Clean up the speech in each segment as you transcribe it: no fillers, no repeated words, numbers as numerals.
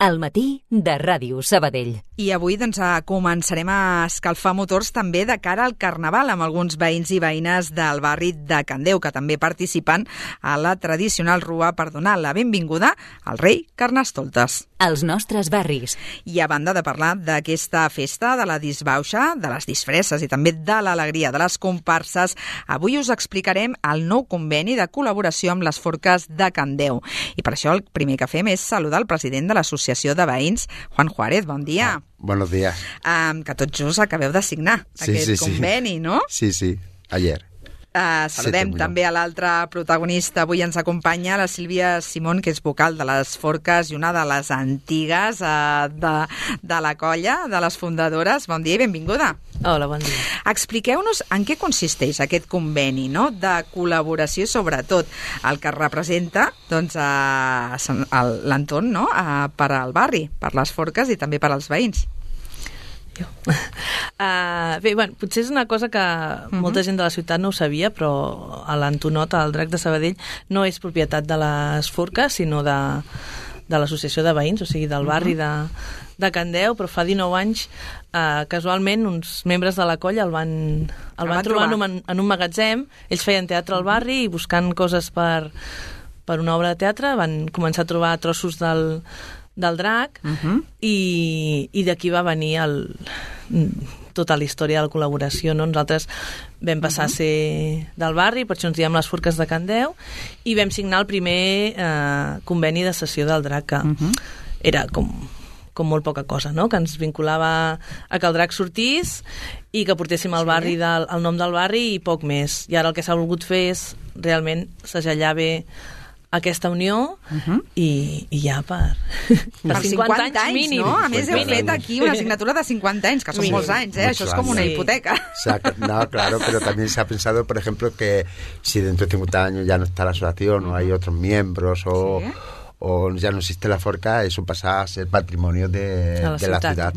Al matí de Ràdio Sabadell. I avui començarem a escalfar motors també de cara al Carnaval amb alguns veïns i veïnes del barri de Can Déu, que també participen a la tradicional rua per donar la benvinguda al rei Carnestoltes. Als nostres barris. I a banda de parlar d'aquesta festa, de la disbauxa, de les disfresses i també de l'alegria de les comparses, avui us explicarem el nou conveni de col·laboració amb les Forques de Can Déu. I per això el primer que fem és saludar el president de l'Associació de Veïns, Juan Juárez. Bon dia. Buenos días. Que tots just acabeu de signar aquest conveni, no? Sí, ayer. Saludem també a l'altre protagonista. Avui ens acompanya la Sílvia Simón, que és vocal de les Forques i una de les antigues de la colla, de les fundadores. Bon dia i benvinguda. Hola, bon dia. Expliqueu-nos en què consisteix aquest conveni, no?, de col·laboració, sobretot el que representa l'entorn, no?, per al barri, per les Forques i també per als veïns. Bé, potser és una cosa que molta gent de la ciutat no ho sabia, però a l'Antonot, el Drac de Sabadell, no és propietat de les Forques, sinó de l'associació de veïns, o sigui, del barri de Can Déu, però fa 19 anys, casualment, uns membres de la colla el van trobar en un magatzem. Ells feien teatre al barri i buscant coses per una obra de teatre van començar a trobar trossos del drac i d'aquí va venir tota la història de la col·laboració, no? Nosaltres vam passar a ser del barri, per això ens diem les Forques de Can Déu, i vam signar el primer conveni de cessió del drac, que era com molt poca cosa, no?, que ens vinculava a que el drac sortís i que portéssim al barri el nom del barri i poc més. I ara el que s'ha volgut fer és realment segellar bé aquesta unió i ja per 50 anys mínim. No? A més, heu fet aquí una assignatura de 50 anys, que són molts anys, Això es como una hipoteca. No, claro, pero también se ha pensado, por ejemplo, que si dentro de 50 años ya no está la asociación o hay otros miembros o ya no existe la Forca, eso pasa a ser patrimonio de la ciudad,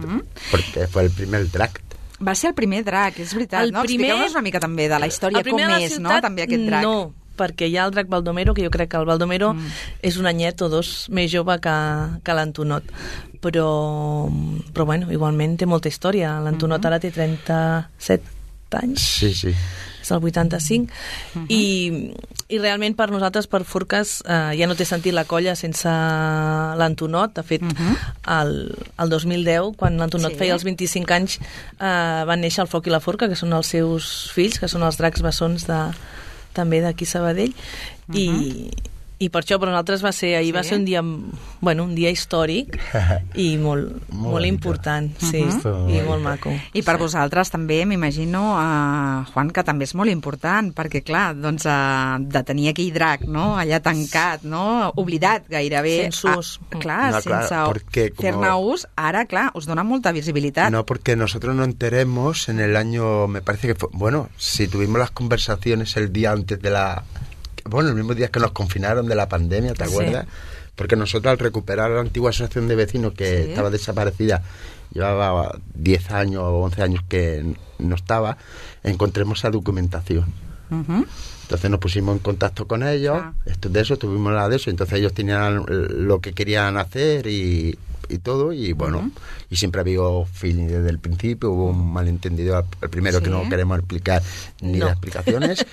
porque fue el primer drac. Va ser el primer drac, és veritat, no? Expliqueu-nos una mica també de la història, com és, no?, també aquest drac. No, perquè hi ha el drac Baldomero, que jo crec que el Baldomero és un anyet o dos més jove que l'Antonot. Però bueno, igualment té molta història. L'Antonot ara té 37 anys. Sí. És el 85. I realment per nosaltres, per Forques, ja no té sentit la colla sense l'Antonot. De fet, el 2010, quan l'Antonot feia els 25 anys, van néixer el Foc i la Forca, que són els seus fills, que són els dracs bessons també d'aquí Sabadell, i per això per nosaltres va ser un dia històric i molt important, i molt maco. I per vosaltres també, m'imagino, Juan, que també és molt important, perquè clar, de tenir aquell drac, no?, allà tancat, no?, oblidat gairebé. Sense ús. Sense fer-ne ús, ara, clar, us dona molta visibilitat. No, porque nosotros nos enteremos en el año, me parece que fue, si tuvimos las conversaciones el día antes de el mismo día que nos confinaron de la pandemia, ¿te acuerdas? Porque nosotros al recuperar la antigua asociación de vecinos que estaba desaparecida, llevaba 10 años o 11 años que no estaba, encontremos esa documentación. Entonces nos pusimos en contacto con ellos, tuvimos la de eso, entonces ellos tenían lo que querían hacer y todo, y y siempre ha habido feeling desde el principio, hubo un malentendido al primero que no queremos explicar ni las explicaciones,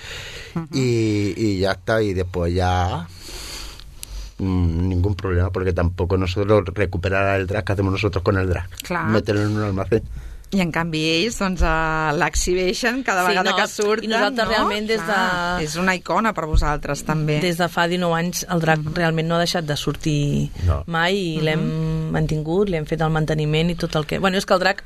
y ya está, y después ya ningún problema, porque tampoco nosotros recuperar el drac que hacemos nosotros con el drac, meterlo en un almacén. I en canvi ells l'exhibeixen cada vegada que surten, i nosaltres realment és una icona per vosaltres també. Des de fa 19 anys el drac realment no ha deixat de sortir mai, i l'hem mantingut, li hem fet el manteniment i tot el que... és que el drac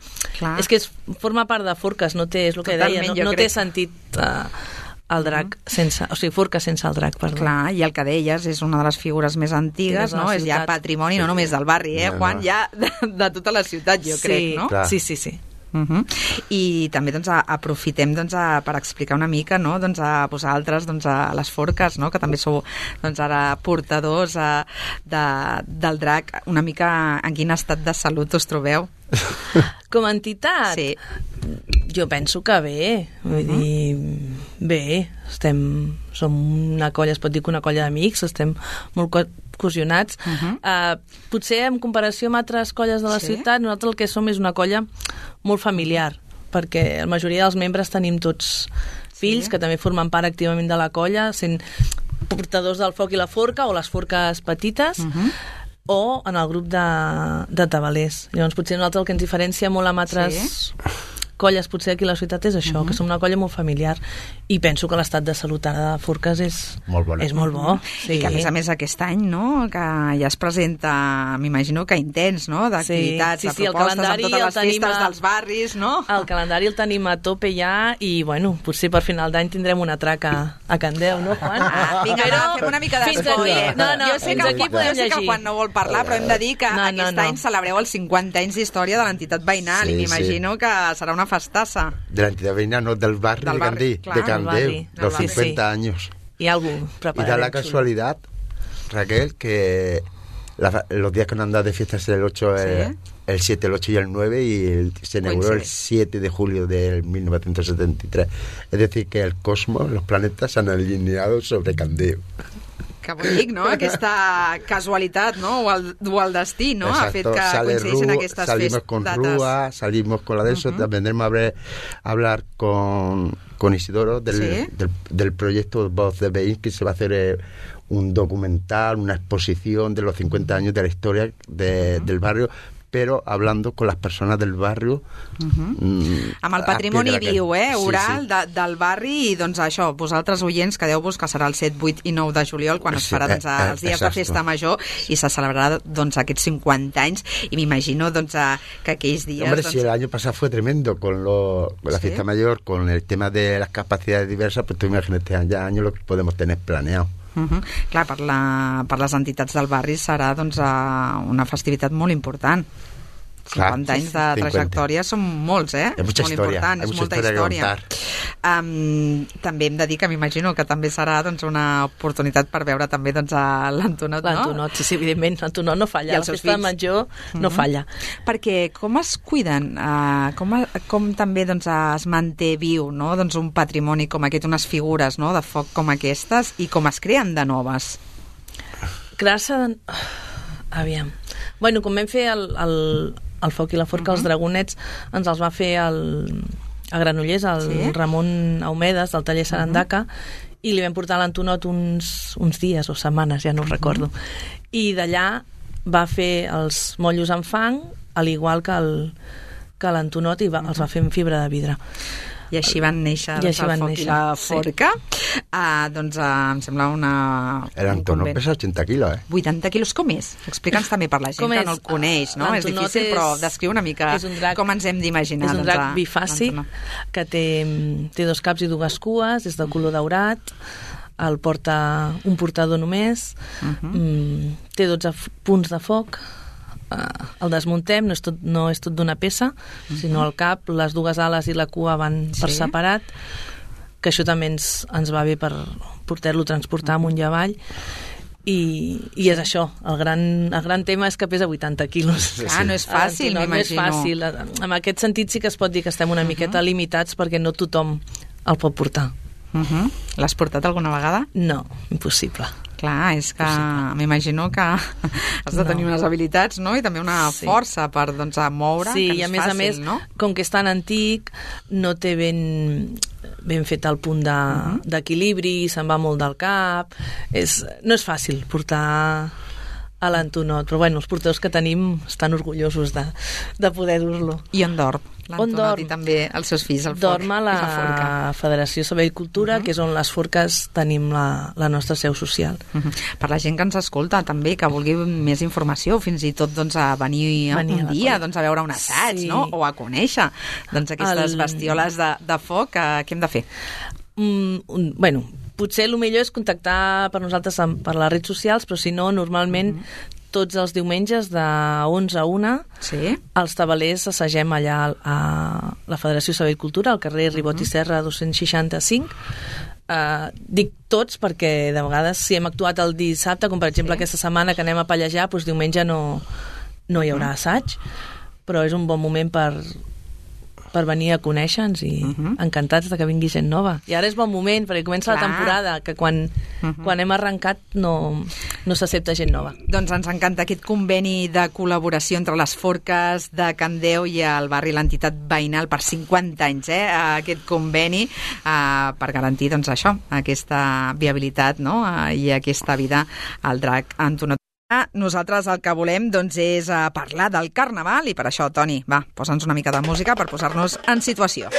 és que forma part de Forques, no té, és el que deia, no té sentit el drac sense, o sigui, Forques sense el drac, perdó. Clar, i el que deies és una de les figures més antigues, no? És ja patrimoni no només del barri, Juan, ja de tota la ciutat, jo crec, no? Sí. I també aprofitem per explicar una mica, no?, a vosaltres, a les Forques, no?, que també sou ara portadors del drac, una mica en quin estat de salut us trobeu? Com a entitat? Sí. Jo penso que bé, vull dir, bé, som una colla, es pot dir que una colla d'amics, estem molt cosionats. Potser en comparació amb altres colles de la ciutat, nosaltres el que som és una colla molt familiar, perquè la majoria dels membres tenim tots fills que també formen part activament de la colla, sent portadors del foc i la forca o les forques petites, o en el grup de tabalers. Llavors potser nosaltres el que ens diferencia molt amb altres colles potser aquí a la ciutat és això, que som una colla molt familiar, i penso que l'estat de salut ara de Forques és molt bo. I que a més aquest any, no?, que ja es presenta, m'imagino que intens, no?, d'activitats, de propostes, amb totes les festes dels barris, no? El calendari el tenim a tope ja, i bueno, potser per final d'any tindrem una traca a Candeu, no, Juan? Vinga, fem una mica d'espoiler. Jo sé que el Juan no vol parlar, però hem de dir que aquest any celebreu els 50 anys d'història de l'entitat veïnal, i m'imagino que serà una festassa. De l'entitat veïnal, no, del barri de Candeu, de Candeu, los 50 años. Y algo preparado. Y da la casualidad, Raquel, que los días que nos han dado de fiesta es el 8, el 7, el 8 y el 9, y se inauguró el 7 de julio de 1973. Es decir, que el cosmos, los planetas se han alineado sobre Candeu. Que bonic, no?, aquesta casualitat, no?, o el destí, no?, ha fet que coincideixen aquestes salimos con dates. Rúa, salimos con la de eso, vendremos a hablar con Isidoro del proyecto Voz de Veïns, que se va a hacer un documental, una exposición de los 50 años de la historia del barrio, però hablando con las personas del barrio. Amb el patrimoni viu, oral, del barri, i doncs això, vosaltres oients, quedeu-vos que serà el 7, 8 i 9 de juliol, quan es farà els dies de festa major, i se celebrarà aquests 50 anys, i m'imagino que aquells dies... Hombre, si el año pasado fue tremendo con la fiesta mayor, con el tema de las capacidades diversas, pues tú imagínate este año lo que podemos tener planeado. Clar, per les entitats del barri serà una festivitat molt important. 50 anys de trajectòria són molts, molt importants, és molta història. També hem de dir que m'imagino que també serà una oportunitat per veure també l'Antonot, no? L'Antonot, sí, evidentment, l'Antonot no falla, la festa major no falla. Perquè com es cuiden, com també es manté viu un patrimoni com aquest, unes figures de foc com aquestes, i com es creen de noves? Crear-se... Aviam. Bueno, com vam fer el foc i la forca, els dragonets, ens els va fer a Granollers, el Ramon Aumedes, del taller Sarandaca, i li vam portar a l'Antonot uns dies o setmanes, ja no ho recordo. I d'allà va fer els mollos en fang, al igual que l'Antonot, i els va fer en fibra de vidre. I així van néixer el foc i la forca. Em sembla una... L'Antonot pesa 80 quilos, 80 quilos, com és? Explica'ns també per la gent que no el coneix, no? És difícil, però descriu una mica com ens hem d'imaginar. És un drac bifàcic que té 2 caps i 2 cues, és de color daurat, el porta un portador només, té 12 punts de foc, el desmuntem, no és tot d'una peça, sinó el cap, les 2 ales i la cua van per separat, que això també ens va bé per poder-lo transportar amunt i avall, i és això, el gran tema és que pesa 80 quilos. No és fàcil, m'imagino. No és fàcil, en aquest sentit sí que es pot dir que estem una miqueta limitats, perquè no tothom el pot portar. L'has portat alguna vegada? No, impossible. Clar, és que m'imagino que has de tenir unes habilitats, no?, i també una força per moure, que no és fàcil, no? Sí, i a més, com que és tan antic, no té ben fet el punt d'equilibri, se'n va molt del cap, no és fàcil portar a l'Antonot, però bueno, els portadors que tenim estan orgullosos de poder dur-lo. I on dorm l'Antonot i també els seus fills, el foc? Dorm a la Federació Sabadell Cultura, que és on les forques tenim la nostra seu social. Per la gent que ens escolta també, que vulgui més informació, fins i tot a venir un dia a veure un assaig, no?, o a conèixer aquestes bestioles de foc, què hem de fer? Bueno, potser el millor és contactar per nosaltres per les redes socials, però si no, normalment tots els diumenges de 11 a 1 els tabalers assagem allà a la Federació Sabadell Cultura, al carrer Ribot i Serra 265. Dic tots perquè de vegades si hem actuat el dissabte, com per exemple aquesta setmana que anem a pallejar, doncs diumenge no hi haurà assaig, però és un bon moment per per venir a conèixer-nos i encantats de que vingui gent nova. I ara és bon moment, perquè comença la temporada, que quan hem arrencat no s'accepta gent nova. Doncs ens encanta aquest conveni de col·laboració entre les Forques de Can Deu i el barri l'entitat veïnal per 50 anys, aquest conveni per garantir doncs, això, aquesta viabilitat, no? I aquesta vida al drac Antonot. Nosaltres el que volem doncs, és parlar del Carnaval i per això, Toni, va, posa'ns una mica de música per posar-nos en situació.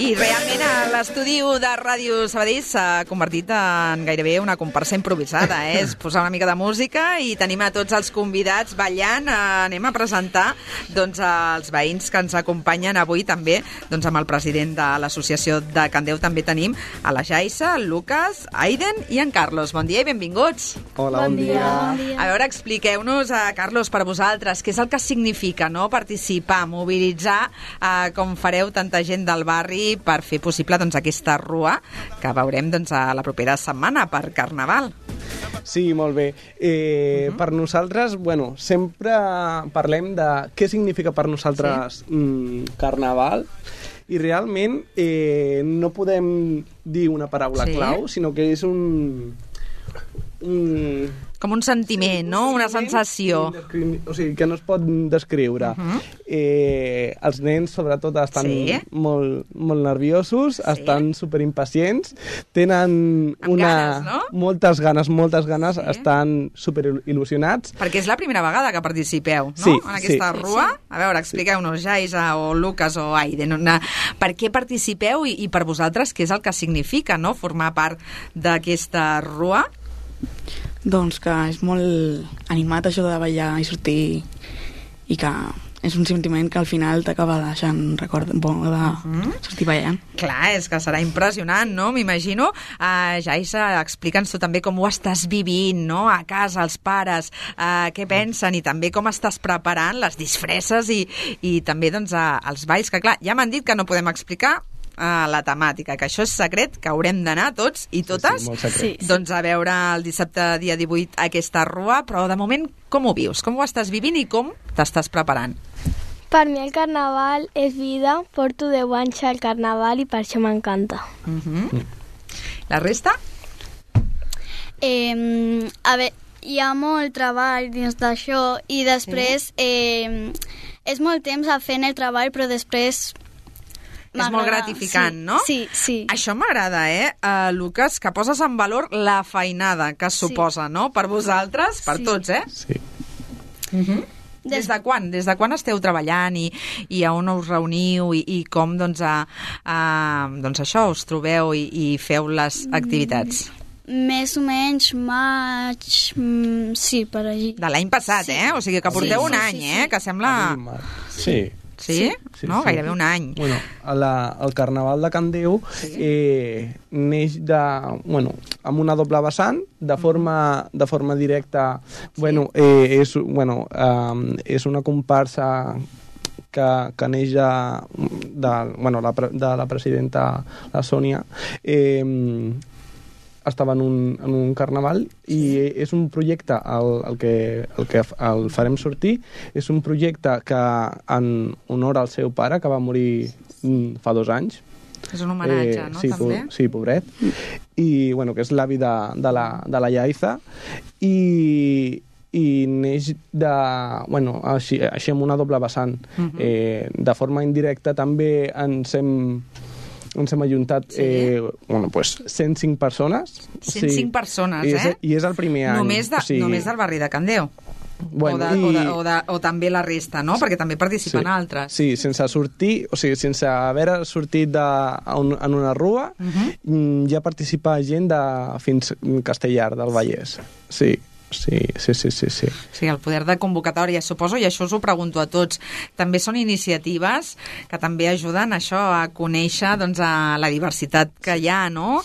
I realment l'estudi de Ràdio Sabadell s'ha convertit en gairebé una comparsa improvisada. És posar una mica de música i tenim a tots els convidats ballant. Anem a presentar doncs, els veïns que ens acompanyen avui també, doncs, amb el president de l'associació de Can Deu també tenim a la Jaisa, el Lucas, Aiden i en Carlos. Bon dia i benvinguts. Hola, bon dia. A veure, expliqueu-nos, Carlos, per vosaltres, què és el que significa participar, mobilitzar, com fareu tanta gent del barri per fer possible doncs, aquesta rua que veurem doncs, a la propera setmana per Carnaval. Sí, molt bé. Per nosaltres, bueno, sempre parlem de què significa per nosaltres Carnaval i realment no podem dir una paraula clau, sinó que és com un sentiment, no? Una sensació. O sigui, que no es pot descriure. Els nens, sobretot, estan molt nerviosos, estan superimpacients, tenen ganes, no? moltes ganes, estan superil·lusionats. Perquè és la primera vegada que participeu, no? Sí, en aquesta rua. A veure, expliqueu-nos, Jaisa o Lucas o Aiden, per què participeu i per vosaltres què és el que significa, no?, formar part d'aquesta rua? Doncs que és molt animat això de ballar i sortir i que és un sentiment que al final t'acaba deixant un record bo de sortir ballant. Clar, és que serà impressionant, no? M'imagino. Jaisa, explica'ns tu també com ho estàs vivint, no? A casa, els pares, què pensen i també com estàs preparant les disfresses i també doncs, els balls, que clar, ja m'han dit que no podem explicar la temàtica, que això és secret, que haurem d'anar tots i totes doncs a veure el dissabte dia 18 aquesta rua, però de moment com ho vius? Com ho estàs vivint i com t'estàs preparant? Per mi el Carnaval és vida, porto 10 anys al Carnaval i per això m'encanta. La resta? A veure, hi ha molt treball dins d'això i després és molt temps fent el treball, però després és molt gratificant, no? Sí. Això m'agrada, Lucas, que poses en valor la feinada que suposa, no? Per vosaltres, per tots, Sí. Des de quan? Des de quan esteu treballant i a on us reuniu i com, doncs això, us trobeu i feu les activitats? Més o menys maig, sí, per allí. De l'any passat, O sigui que porteu un any, que sembla... Sí. Sí? No? Gairebé un any. Bueno, el Carnaval de Can Deu neix amb una doble vessant, de forma directa. És una comparsa que neix de la presidenta, la Sònia, estava en un carnaval i és un projecte el que el farem sortir, és un projecte que en honor al seu pare, que va morir fa 2 anys. És un homenatge, no? Sí, també? Sí, pobret. I, que és l'avi de la Jaisa i neix així amb una doble vessant. De forma indirecta també ens hem ajuntat 105 persones. 105 persones, I és el primer any. Només del barri de Can Deu. O també la resta, no? Perquè també participen altres. Sí, sense sortir, sense haver sortit en una rua, ja participa gent de fins Castellar, del Vallès. Sí. Sí. Sí, el poder de convocatòria, suposo, i això us ho pregunto a tots. També són iniciatives que també ajuden això a conèixer a la diversitat que hi ha, no?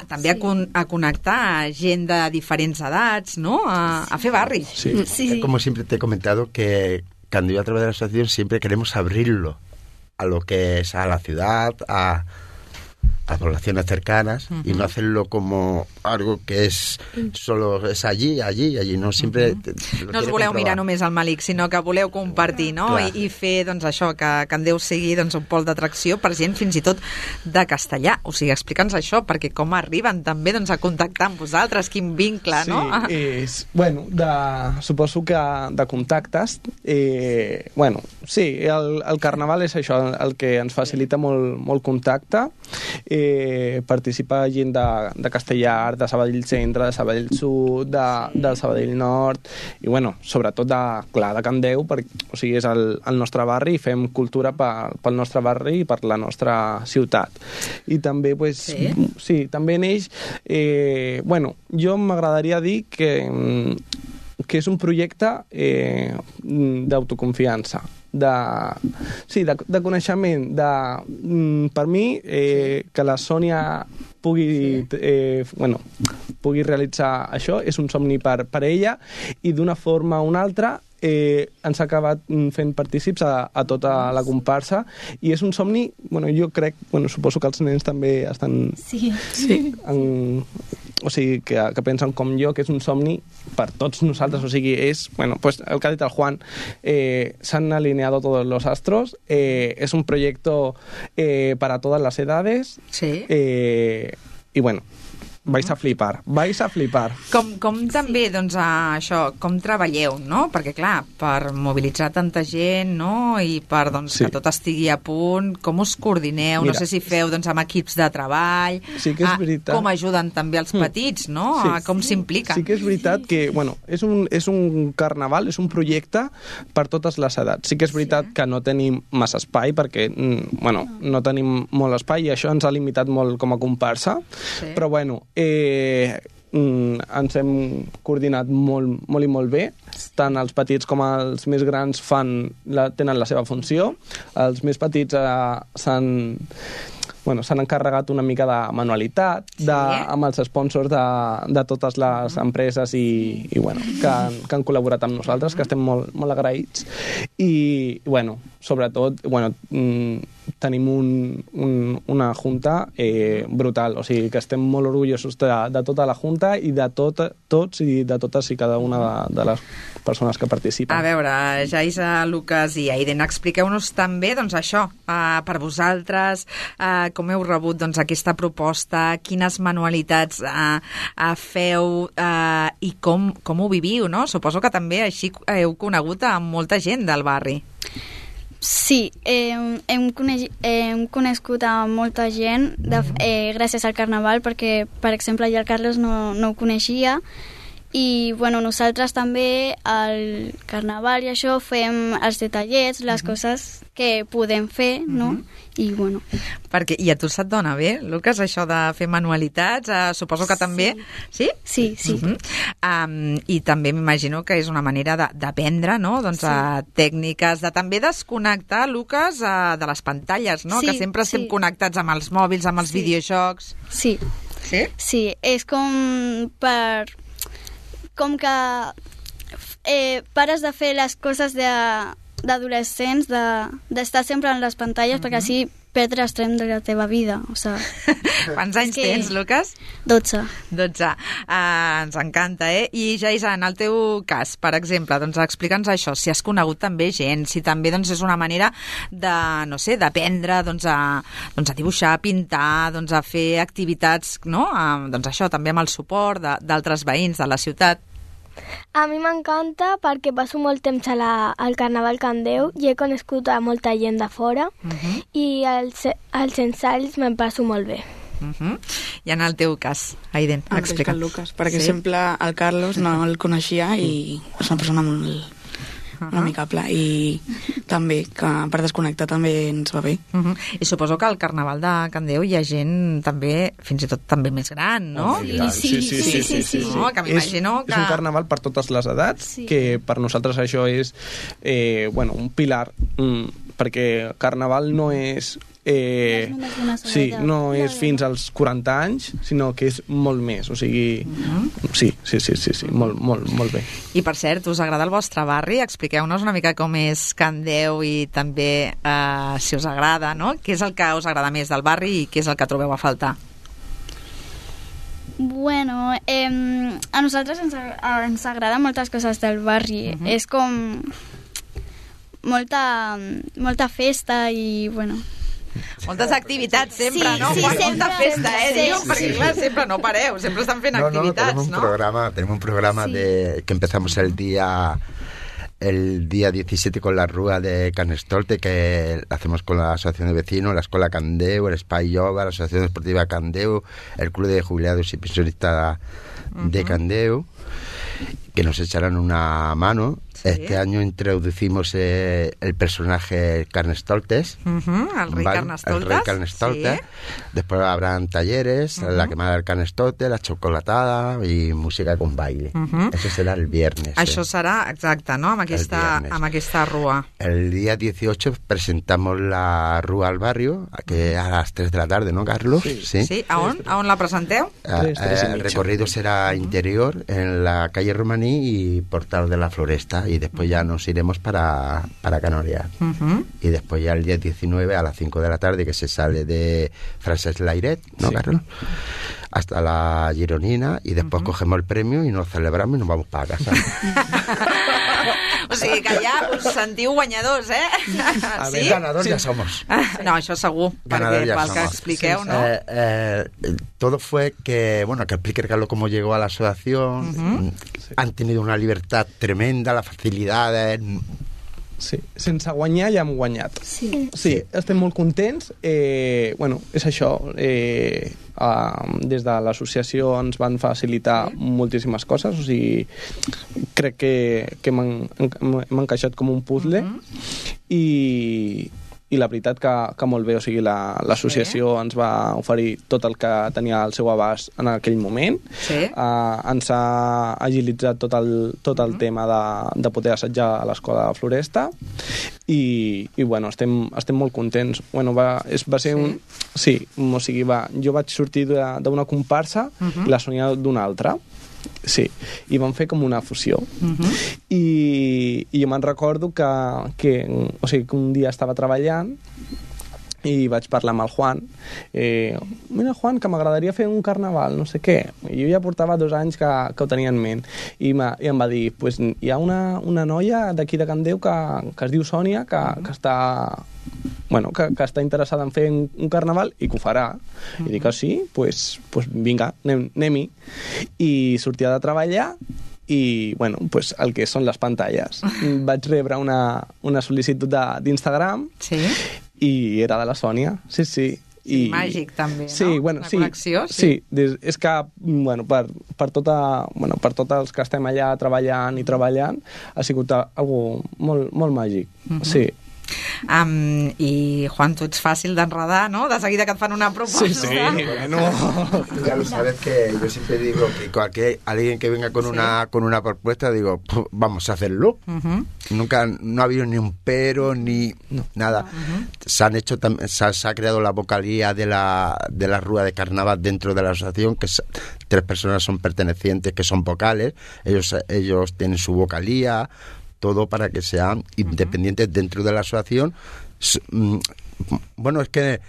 També a connectar gent de diferents edats, ¿no? A fer barri. Sí. Como siempre te he comentado, que cuando yo a través de la asociación siempre queremos abrirlo a lo que es a la ciudad, a a poblaciones cercanas y no hacerlo como algo que es solo es allí, no sempre... No us voleu mirar només al Malik, sinó que voleu compartir, no? I fer, doncs, això, que Candeu sigui doncs, un pol d'atracció per gent fins i tot de castellà. O sigui, explica'ns això, perquè com arriben també doncs, a contactar amb vosaltres, quin vincle, no? Sí, bueno, suposo que de contactes, bueno, sí, el carnaval és això, el que ens facilita molt contacte, participa gent de Castellar, de Sabadell Centre, de Sabadell Sud, de Sabadell Nord, i bueno, sobretot de Candeu, o sigui, és el nostre barri i fem cultura pel nostre barri i per la nostra ciutat. I també, pues, sí, també neix, bueno, jo m'agradaria dir que és un projecte d'autoconfiança, de coneixement, per mi, que la Sònia pugui realitzar això, és un somni per ella, i d'una forma o una altra ens ha acabat fent partícips a tota la comparsa, i és un somni, jo crec, suposo que els nens també estan... Sí. O sigui, que pensen com jo, que és un somni per tots nosaltres, o sigui, és, pues el que ha dit el Juan, s'han alineado todos los astros, es un proyecto para todas las edades, y bueno, vais a flipar. Com també, doncs, això, com treballeu, no? Perquè, clar, per mobilitzar tanta gent, no?, i per, doncs, que tot estigui a punt, com us coordineu? Mira, no sé si feu, doncs, amb equips de treball, sí que és veritat. Com ajuden també els petits, no? Sí. Com s'impliquen? Sí que és veritat que, és un carnaval, és un projecte per totes les edats. Sí que és veritat que no tenim massa espai, perquè, no tenim molt espai, i això ens ha limitat molt com a comparsa, però, ens hem coordinat molt i molt bé, tant els petits com els més grans tenen la seva funció. Els més petits s'han encarregat una mica de manualitat, amb els sponsors de totes les empreses que han col·laborat amb nosaltres, que estem molt agraïts. I, sobretot, tenim una junta brutal, o sigui que estem molt orgullosos de tota la junta i de tots i de totes i cada una de les persones que participen. A veure, Jaisa, Lucas i Aiden, expliqueu-nos també, doncs, això, per vosaltres, com heu rebut, doncs, aquesta proposta, quines manualitats feu i com ho viviu, no? Suposo que també així heu conegut a molta gent del barri. Sí, hem conegut a molta gent gràcies al Carnaval, perquè, per exemple, ja el Carlos no ho coneixia, i nosaltres també al Carnaval i això fem els detallets, les coses que podem fer, no? I Perquè, i a tu se't dona bé, Lucas, això de fer manualitats? Suposo que també... Sí? Sí. I també m'imagino que és una manera d'aprendre, no? Doncs tècniques, de també desconnectar, Lucas, de les pantalles, no? Que sempre estem connectats amb els mòbils, amb els videojocs. Sí. Sí, és com que pares de fer les coses d'adolescents, d'estar sempre en les pantalles, perquè així perdre extrem de la teva vida. Quants anys tens, Lucas? 12. 12. Ens encanta, I, Jaisa, en el teu cas, per exemple, doncs explica'ns això, si has conegut també gent, si també doncs, és una manera de, no sé, d'aprendre a dibuixar, a pintar, a fer activitats, no? Doncs això, també amb el suport d'altres veïns de la ciutat. A mi m'encanta perquè passo molt temps al Carnaval Candeu i he conegut a molta gent de fora i als ensalls me'n passo molt bé. I en el teu cas, Aiden, explica. El Lucas, per exemple, el Carlos no el coneixia i és una persona molt amigable i també que per desconnectar també ens va bé. I suposo que al Carnaval de Candeu hi ha gent també, fins i tot també més gran, no? Sí. No, que m'imagino que... És un carnaval per totes les edats, que per nosaltres això és un pilar perquè Carnaval no és... no és fins als 40 anys, sinó que és molt més, o sigui... Sí, molt bé. I per cert, us agrada el vostre barri? Expliqueu-nos una mica com és Can Déu i també si us agrada, no? Què és el que us agrada més del barri i què és el que trobeu a faltar? Bueno, a nosaltres ens agraden moltes coses del barri. És com molta festa i, bueno... Moltes activitats sempre, Sí, no? sí, Molta sempre, festa, diu, sí, perquè clar, sempre no pareu, sempre estan fent activitats, tenemos un programa que empezamos el día 17 con la Rúa de Carnestoltes, que hacemos con la Asociación de Vecinos, la Escuela Can Déu, el Spy Yoga, la Asociación Deportiva Can Déu, el Club de Jubilados y Pensionistas de Can Déu, que nos echarán una mano. Sí. Este año introducimos el personaje Carnestoltes, el rey Carnestoltes. El rey Carnestoltes. Sí. Después habrán talleres, la quemada del Carnestoltes, la chocolatada y música con baile. Eso será el viernes. Això serà, exacte, no? Amb aquesta rua. El día 18 presentamos la rúa al barrio, que a las 3 de la tarde, ¿no, Carlos? Sí. ¿A on la presenteu? El recorrido será interior, en la calle Romaní y Portal de la Floresta, y después ya nos iremos para Canorias. Y después ya el día 19 a las 5 de la tarde, que se sale de Francesc Layret, ¿no, Carlos? Hasta la Gironina, y después cogemos el premio y nos celebramos y nos vamos para casa. O sigui que ja us sentiu guanyadors, A ver, ganadors ja somos. No, això segur, perquè pel que expliqueu, ¿no? Todo fue que explique Carlos cómo llegó a la asociación. Han tenido una libertad tremenda, las facilidades... Sí, sense guanyar ja hem guanyat. Sí, estem molt contents. És això. Des de l'associació ens van facilitar moltíssimes coses, o sigui, crec que m'han encaixat com un puzzle i la veritat que molt bé, o sigui, l'associació ens va oferir tot el que tenia al seu abast en aquell moment. Ens ha agilitzat tot el tema de poder assetjar a l'escola de Floresta i bueno, estem molt contents. Va ser un... Sí, o sigui, jo vaig sortir d'una comparsa i la Sònia d'una altra. Sí, i vam fer com una fusió. I jo me'n recordo que un dia estava treballant i vaig parlar amb el Juan. Mira, Juan, que m'agradaria fer un carnaval, no sé què. I jo ja portava 2 anys que ho tenia en ment. I em va dir, pues, hi ha una noia d'aquí de Can Déu que es diu Sònia, que està... que està interessada en fer un carnaval i que ho farà. I dic, sí? Pues vinga, anem-hi. I sortia de treballar i, el que són les pantalles. Vaig rebre una sol·licitud d'Instagram i era de la Sònia. Sí. I màgic, també, no? Sí, la connexió, sí. És que, per tots els que estem allà treballant, ha sigut algo molt, molt màgic. Sí. I Juan, tu ets fàcil d'enredar, ¿no? De seguida que et fan una proposta. Sí, bueno. Ya lo sabes que yo siempre digo que alguien que venga con una propuesta, digo, vamos a hacerlo. Nunca, no ha habido ni un pero ni nada. Se ha creado la vocalía de la Rúa de Carnaval dentro de la asociación, que 3 personas son pertenecientes, que son vocales. Ellos tienen su vocalía, todo para que sean independientes dentro de la asociación. Es que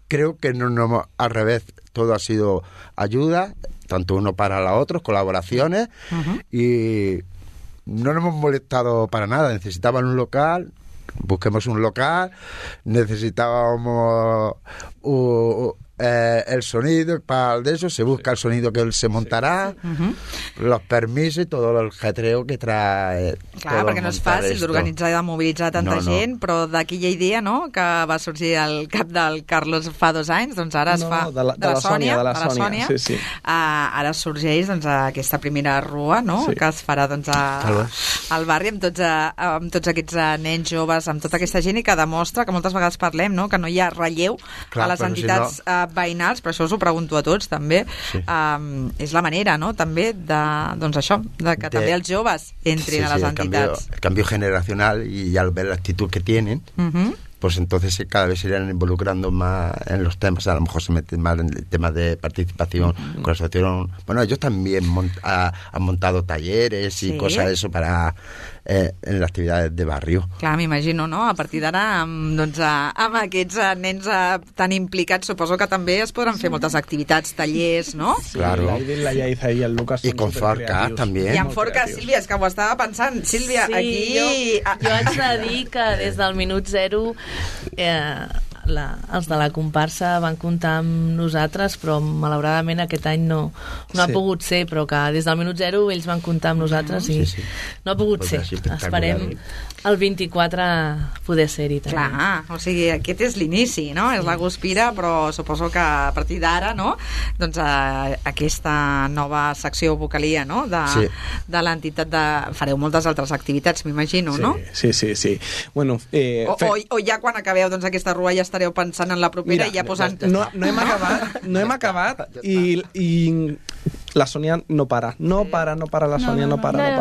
creo que no al revés, todo ha sido ayuda, tanto uno para los otros, colaboraciones, y no nos hemos molestado para nada. Necesitaban un local, busquemos un local, necesitábamos el sonido para eso, se busca el sonido que se montarà, los permisos i tot el jetreo que trae. Clar, perquè no és fàcil d'organitzar i de mobilitzar tanta gent, però d'aquella idea, no?, que va sorgir al cap del Carlos fa 2 anys, doncs ara es fa de la Sònia, sí. Ara sorgeix aquesta primera rua, no?, que es farà al barri amb tots aquests nens joves, amb tota aquesta gent, i que demostra que moltes vegades parlem, no?, que no hi ha relleu a les entitats veïnals, però això us ho pregunto a tots també. És la manera, no?, també de que també els joves entrin a les entitats. El cambio generacional, y al ver la actitud que tienen, pues entonces cada vez se irán involucrando más en los temas, a lo mejor se meten más en el tema de participación con la asociación. Bueno, ellos también han montado talleres y cosas de eso para en les activitats de barri. Clar, m'imagino, no? A partir d'ara, doncs, amb aquests nens tan implicats, suposo que també es podran fer moltes activitats, tallers, no? Sí, Claro. La Yaiza i el Lucas Y con Forca también. I amb Forca, Sílvia, és que ho estava pensant. Sílvia, Sí, aquí... jo haig de dir que des del minut zero els de la comparsa van comptar amb nosaltres, però malauradament aquest any no ha pogut ser, però que des del minut zero ells van comptar amb nosaltres i no ha pogut ser. Esperem el 24 poder ser-hi també. Clar, o sigui, aquest és l'inici, no? És la guspira, però suposo que a partir d'ara, no? Doncs aquesta nova secció vocalia, no? De l'entitat fareu moltes altres activitats, m'imagino, no? Sí. Bueno, o ja quan acabeu doncs, aquesta rua ja estareu pensant en la propera i ja posant... No hem acabat i la Sònia no para. No para, la Sònia no para.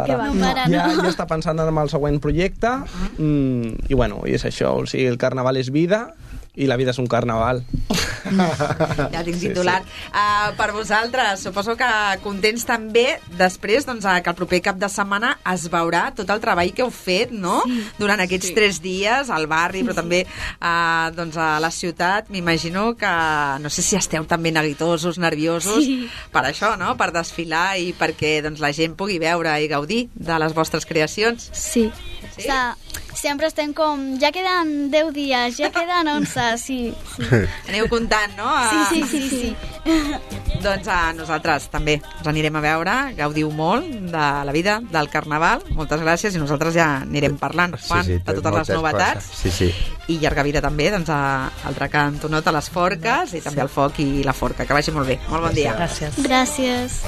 Ja està pensant en el següent projecte i bueno, i és això, o sigui, el carnaval és vida i la vida és un carnaval. Ja tinc titular. Per vosaltres, suposo que contents també després doncs, que el proper cap de setmana es veurà tot el treball que heu fet, no? Durant aquests 3 dies al barri, però també doncs, a la ciutat. M'imagino que, no sé si esteu també neguitosos, nerviosos per això, no? Per desfilar i perquè doncs, la gent pugui veure i gaudir de les vostres creacions. Sí. O sea, sempre estem com, ja queden 10 dies, ja queden 11, sí. Aneu comptant, no? Sí. Doncs nosaltres també us anirem a veure, gaudiu molt de la vida, del carnaval. Moltes gràcies i nosaltres ja anirem parlant, Juan, de totes les novetats. Sí. I llarga vida també doncs, al Drac Antonot, a les Forques i també al Foc i la Forca. Que vagi molt bé. Molt bon dia. Gràcies. Gràcies.